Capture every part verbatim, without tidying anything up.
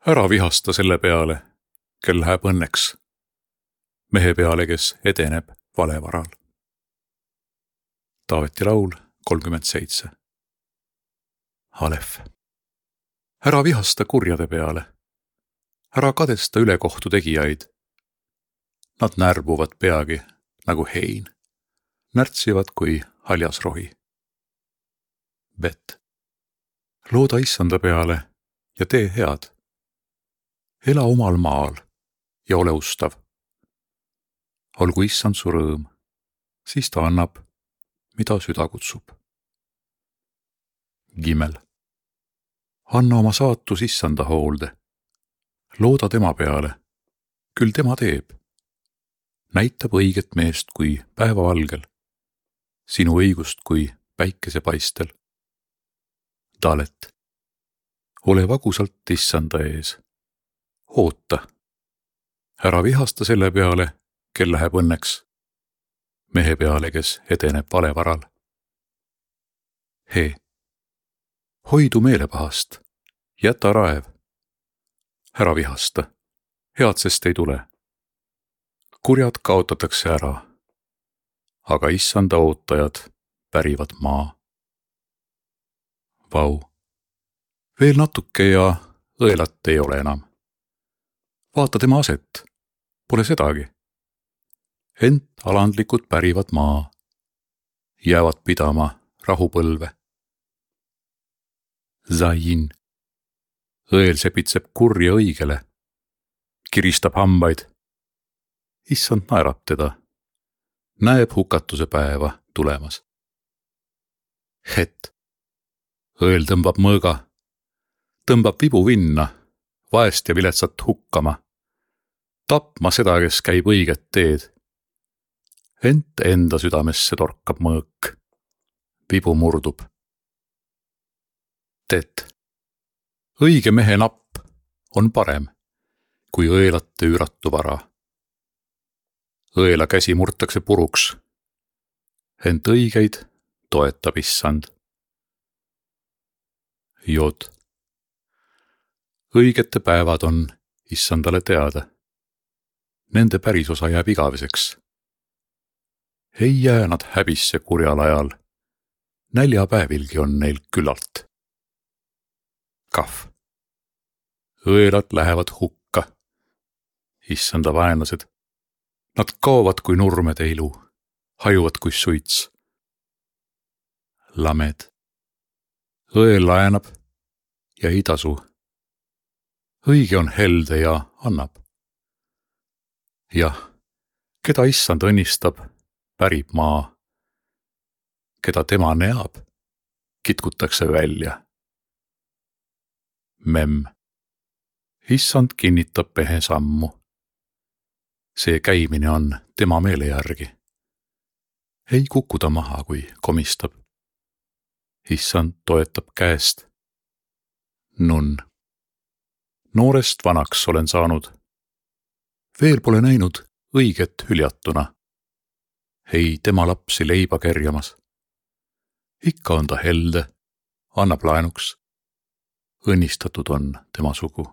Ära vihasta selle peale, kel läheb õnneks. Mehe peale, kes edeneb valevaral. Taaveti laul kolmkümmend seitse. Alef. Ära vihasta kurjade peale. Ära kadesta ülekohtu tegijaid. Nad närbuvad peagi nagu hein. Närtsivad kui haljas rohi. Bet. Looda issanda peale ja tee head. Ela omal maal ja ole ustav. Olgu issand su rõõm, siis ta annab, mida süda kutsub. Gimel. Anna oma saatus issanda hoolde. Looda tema peale, küll tema teeb. Näitab õiget meest kui päevavalgel, sinu õigust kui päikesepaistel. Dalet. Ole vagusalt issanda ees. Oota. Ära vihasta selle peale, kel läheb õnneks. Mehe peale, kes edeneb valevaral. He. Hoidu meelepahast. Jäta raev. Ära vihasta. Head sest ei tule. Kurjad kaotatakse ära. Aga issanda ootajad pärivad maa. Vau. Veel natuke ja õelat ei ole enam. Vaata tema aset. Pole sedagi. Ent alandlikud pärivad maa. Jäävad pidama rahupõlve. Zain. Õel sepitseb kurja õigele. Kiristab hambaid. Issand naerab teda. Näeb hukatuse päeva tulemas. Het. Õel tõmbab mõõga. Tõmbab vibu vinna. Vaest ja viletsat hukkama. Tapma seda, kes käib õiget teed. Ent enda südamesse torkab mõõk. Vibu murdub. Tet. Õige mehe napp on parem, kui õelate üüratu vara. Õela käsi murtakse puruks. Ent õigeid toetab issand. Jod. Õigete päevad on issandale teada. Nende pärisosa jääb igaveseks. Ei jää nad häbisse kurjal ajal. Näljapäevilgi on neil küllalt. Kahv. Õelad lähevad hukka. Issanda vaenlased. Nad kaovad kui nurmede ilu. Hajuvad kui suits. Lamed. Õel laenab ja ei tasu. Õige on helde ja annab. Jah, keda issand õnnistab, pärib maa. Keda tema neab, kitkutakse välja. Mem. Issand kinnitab mehe sammu. See käimine on tema meele järgi. Ei kukuda maha, kui komistab. Issand toetab käest. Nun. Noorest vanaks olen saanud. Veel pole näinud õiget hüljatuna. Ei tema lapsi leiba kerjamas. Ikka on ta helde, annab laenuks. Õnnistatud on tema sugu.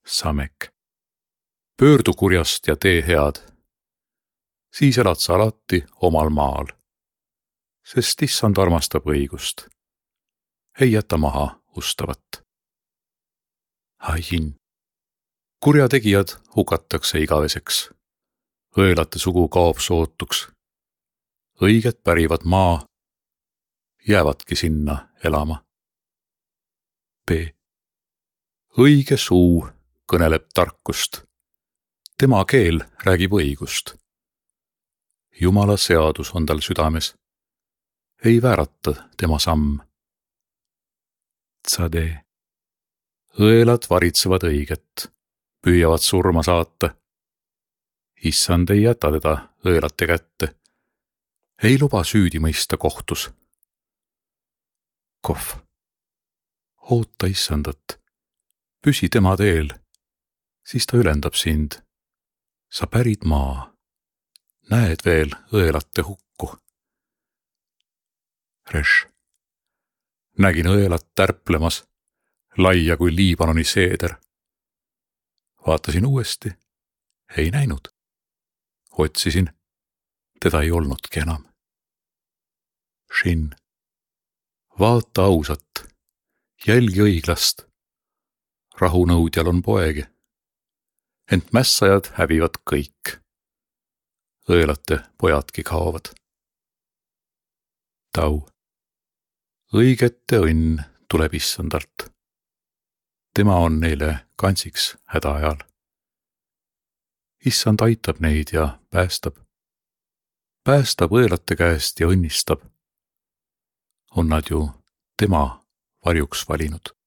Samek. Pöördu kurjast ja tee head. Siis elad sa alati omal maal. Sest issand armastab õigust. Ei jäta maha ustavat. Hain. Kurjategijad hukatakse igaveseks. Õelate sugu kaob sootuks. Õiged pärivad maa. Jäävadki sinna elama. B. Õige suu kõneleb tarkust. Tema keel räägib õigust. Jumala seadus on tal südames. Ei väärata tema samm. Tsade. Õelad varitsevad õiget, püüavad surma saata. Issand ei jäta teda õelate kätte. Ei luba süüdi mõista kohtus. Kohv. Oota issandat. Püsi tema teel. Siis ta ülendab sind. Sa pärid maa. Näed veel õelate hukku. Reš. Nägin õelat tärplemas. laia kui Liibanoni seeder. Vaatasin uuesti, ei näinud. Otsisin, teda ei olnudki enam. Shin, vaata ausat, jälgi õiglast. Rahunõudjal on poegi, ent mässajad hävivad kõik. Õelate pojadki kaovad. Tau, õigete õnn tuleb issandalt. Tema on neile kantsiks häda ajal. Issand aitab neid ja päästab. Päästab õelate käest ja õnnistab. On nad ju tema varjuks valinud.